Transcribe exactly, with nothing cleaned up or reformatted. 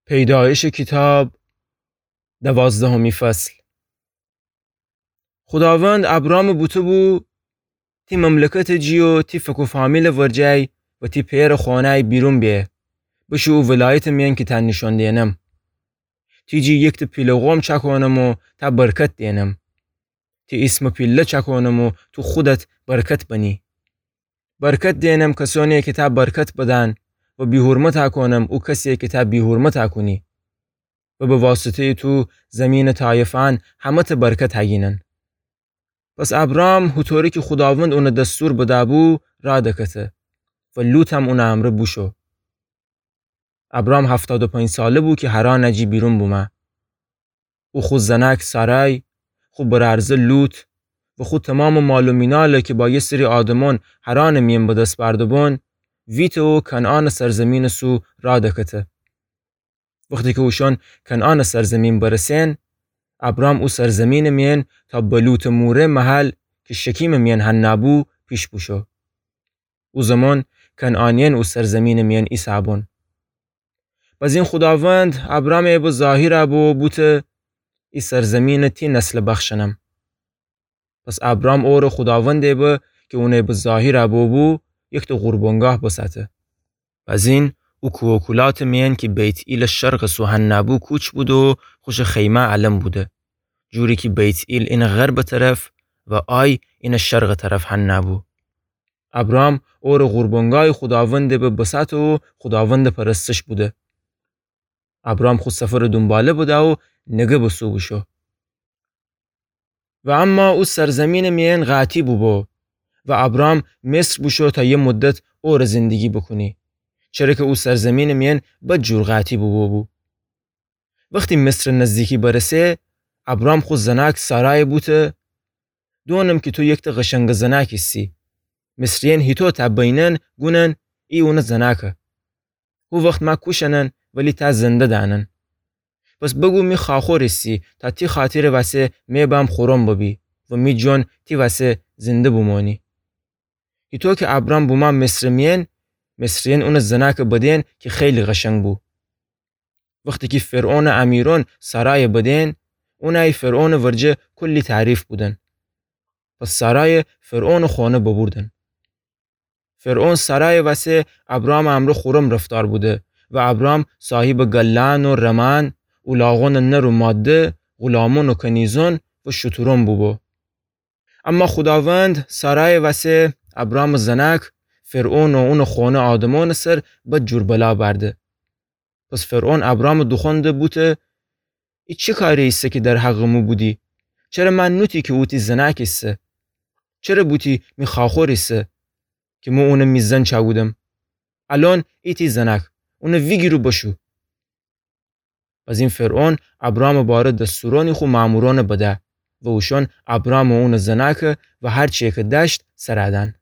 پیدایش کیتاب، دوازدهمی فصل. خوداوند ابرامَ بوته‌بو: تی مملکتٚ جی و تی فک و فامیلٚ ورجه و تی پئرٚ خانه بیرون به، بشو او ولایتٚ میأن کی تأ نیشان دئنم. تی جی یکتأ پیله قوم چأکونم و تأ برکت دئنم. تی ایسمٚ پیله چأکونم و تو خودت برکت بنی. برکت دئنم کسأنیی کی تأ برکت بدن و بی‌حرمتأ کونم او کسیی کی تأ بی‌حرمتأ کونی. و به واسطه‌یٚ تو زیمینٚ طایفأن همه‌تأ برکت هگینن. پس ابرام هوطوری کی خوداوند اونَ دستور بده‌بو راه دکته و لوطم اونٚ امرأ بوشو. ابرام هفتاد و پنج ساله بو کی حرانٚ جی بیرون بومه. او خو زنأک سارای، خو برأرزه لوط و خو تومامٚ مال و مینال کی با یه سری آدمأن حرانٚ میأن به دس بأرده‌بون، ویته و کنعانٚ سرزیمینٚ سو راه دکته. وختی کی اوشأن کنعانٚ سرزیمین برسئن، ابرام او سرزیمینٚ میأن تا به لوطٚ موره محل کی شکیمٚ میأن حنا بو پیش بوشو. او زمان کنعانیأن او سرزیمینٚ میأن ایسه‌بون. بزین خوداوند ابرامَ به ظاهر بو و بوته: ای سرزیمینَ تی نسلَ بخشنم. پس ابرام اوره خوداوندٚ به کی اونَ به ظاهر بوبو، یکتأ قربانگاه بساته. بزین او کوه و کولاتٚ میأن کی بیت‌ایلٚ شرقٚ سو حنا بو کوچ بوده و خوشٚ خیمه الم بوده، جوری کی بیت‌ایل اینٚ غربٚ طرف و آی اینٚ شرقٚ طرف حنا بو. ابرام اوره قربانگاهٚ خوداوندٚ به بساته و خوداوندٚ پرستش بوده. ابرام خو سفرٚ دونباله بده و نگه به سو بوشو. و اما او سرزیمینٚ میأن قاطی بوبو و ابرام مصر بوشو تا یه مدت اوره زندگی بوکونی، چره کی او سرزیمینٚ میأن بدجور قاطی بوبو بو. وختی مصرٚ نزدیکی برسه، ابرام خو زنأک سارایَ بوته: دونم کی تو یکتأ قشنگٚ زنأک ایسی. مصریأن هیتو تأ بینن گونن: ای اونٚ زنأکه. هو وخت مه کوشنن ولی تأ زنده دأنن. پس بگو می خواخور ایسی تا تی خاطرٚ وسه مه بم خورم ببی و می جان تی وسه زنده بومانی. هیتو کی ابرام بومه مصرٚ میأن، مصریأن اونٚ زنأکَ بدئن کی خیلی قشنگ بو. وختی کی فرعونٚ امیرأن سارایَ بدئن، اونأی فرعونٚ ورجه کلی تعریف بودن. پس سارایَ فرعونٚ خانه ببردن. فرعون سارایٚ وسه ابرامٚ امرأ خورم رفتار بوده و ابرام صاحبٚ گله‌یأن و رمه‌یأن، الاغونٚ نر و ماده، غلامأن و کنیزأن و شترأن بوبو. اما خوداوند سارایٚ وسه ابرامٚ زنأک، فرعون و اونٚ خانه آدمأنٚ سر بدجور بلا بأرده. پس فرعون ابرامٚ دوخوأنده بوته: ای چی کاری ایسه کی در حقٚ مو بودی؟ چره مه نوتی کی او تی زنأک ایسه؟ چره بوتی می خواخور ایسه کی مو اونَ می زن چأکودم؟ الأن ای تی زنأک، اونَ ویگیر و بشو. بزین فرعون ابرامٚ باره دستورأنی خو مأمورأنَ بده و اوشأن ابرام و اونٚ زنأکَ و هر چیی کی دأشت سرَ دأن.